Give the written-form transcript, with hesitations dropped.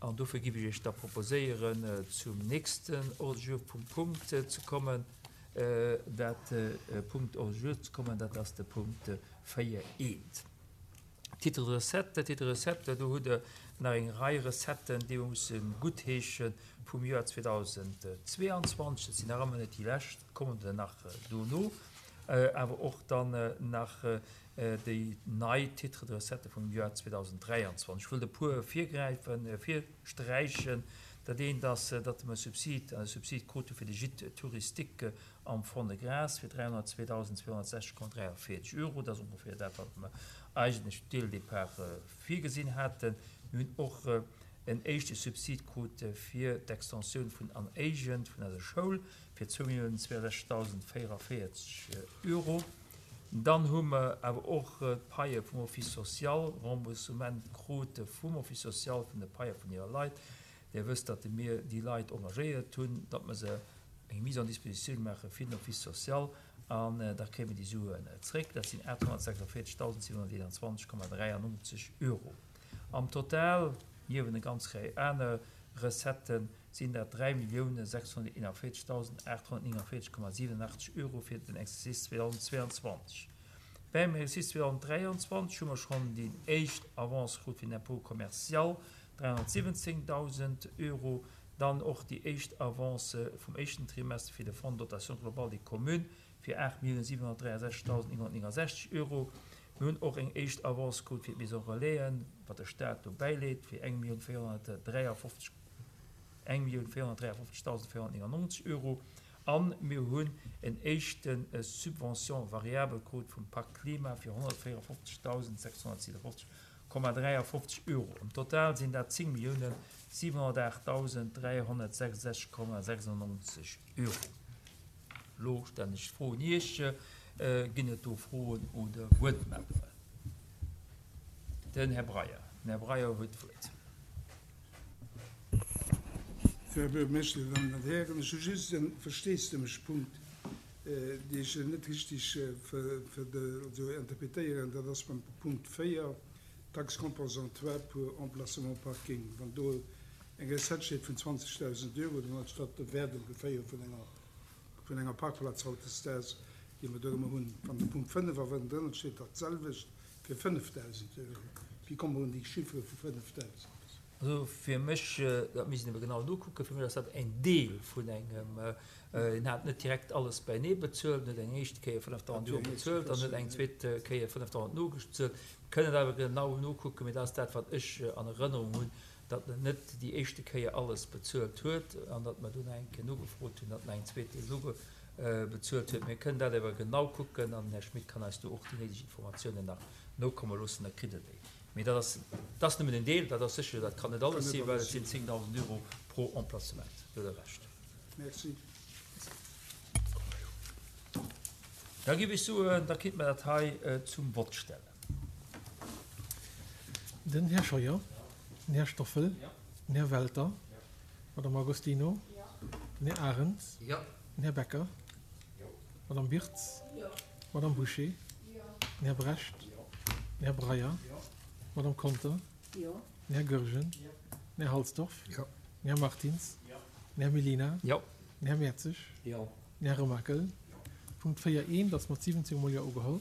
An dofir giff ech Iech da proposéieren, zum nächsten Ordre du jour vum Punkt ze kommen, dat Punkt Ordre du jour ze kommen, dat ass de Punkt 4 eent. Titre de recette, Titre de recette, do hutt Der nach eng Rei Recetten, déi mer musse guttheesche vum Joer 2022. Dat sinn nach ëmmer net déi lescht, et kommen der nach dono, awer och dann nach déi nei Titres de recette vum Joer 2023. Ech wëllt e puer virgräifen, virsträichen. Dat eent ass, datt mer e Subsid, e Subsid krute fir de Gîte touristique am Fond-de-Gras fir 302.260,43 Euro. Dat ass ongeféier dat, wat mer eigentlech dès le départ virgesinn haten. Mir hunn och en éischte Subsid krut fir d'Extensioun vun An Éigent vun eiser Schoul fir 2.062.044 Euro. Dann hu mer awer och d'Paie vum Office social, Remboursement krute vum Office social vun de Paie vun hire Leit. Dir wësst, datt mir déi Leit engagéiert hunn, datt mer se eng Mise en disposition maache fir den Office social an da kréie mer déi Suen zréck. Dat sinn 846.721,93 Euro am Total. Niewent eng ganz Rei aner Recetten sinn dat 3.641.849,87 Euro fir den Exercice 2022. Beim Exercice 2023 hu mer schonn déi éischt Avance krut fir den Impôt commercial, 317.000 Euro, dann och déi éischt Avance vum éischten Trimester fir de Fonds de dotation globale des communes fir 8.763.969 Euro. Mir hunn och eng éischt Avance krut fir d'Maison Relaisen, wat de Stat do bäileet, fir 1.453.499 Euro. A mir hunn en éischte Subvention variable krut vum Pacte Klima fir 154.657 53 Euro. Am Total sinn dat 10.708.366,96 Euro. Elo stellen ech d'Fro un Iech, Ginn et do Froen oder Wuertmeldungen? Den Här Breyer. Den Här Breyer huet d'Wuert. Här Buergermeeschter, Dir Dammen an Hären, ech hu just e Versteesdemechpunkt, dee ech net richtig interpretéieren. Dat ass beim Punkt 4, Taxe compensatoire pour emplacement parking. Wann do eng Recette steet vun 20.000 Euro, dann ass dat de Wäert ongeféier vun enger, vun enger Parkplaz hautdesdaags, déi mer do ëmmer hunn. Wann de Punkt 5 awer ënnendrënner steet dat selwecht fir 5.000 Euro, wéi komme mer un déi Chiffere vu 5.000? Also fir mech, dat misst een ebe genau nokucken, fir mech ass dat en Deel vun engem, en hat net direkt alles beinee bezuelt, en huet eng éischt Kéier 5.000 Euro bezuelt, dann huet eng zweet Kéier 5.000 nogezuelt. Mir kënnen dat awer genau nokucken, mee dat ass dat, wat ech an Erënnerung hunn, datt en net déi éischte Kéier alles bezuelt huet an datt mer dunn eng Kéier nogefrot hunn, datt en eng zweet Deel nogebezuelt huet. Mir kënnen dat awer genau kucken an den Här Schmit kann eis do och déi néideg Informatiounen nach nokomme loossen, da kritt Der déi. Mee dat ass, dat ass nëmmen en Deel, dat ass sécher, dat kann net alles sinn, well et sinn 10.000 Euro pro Emplacement. Do hutt Der Recht. Merci. Da géif ech soen, da kéinte mer dat hei zum Vott stellen. Den Här Scheuer, den Här Stoffel, den Här Welter, d'Madame Agostino, den Här Arendt, den Här Becker, d'Madame Birtz, d'Madame Bouché, den Här Brecht, den Här Breyer, d'Madame Conter, den Här Goergen, den Här Halsdorf, den Här Martins, den Här Mellina, den Här Mertzig, den Här Remakel. Punkt 4 eent ass mat 17 mol Jo ugeholl.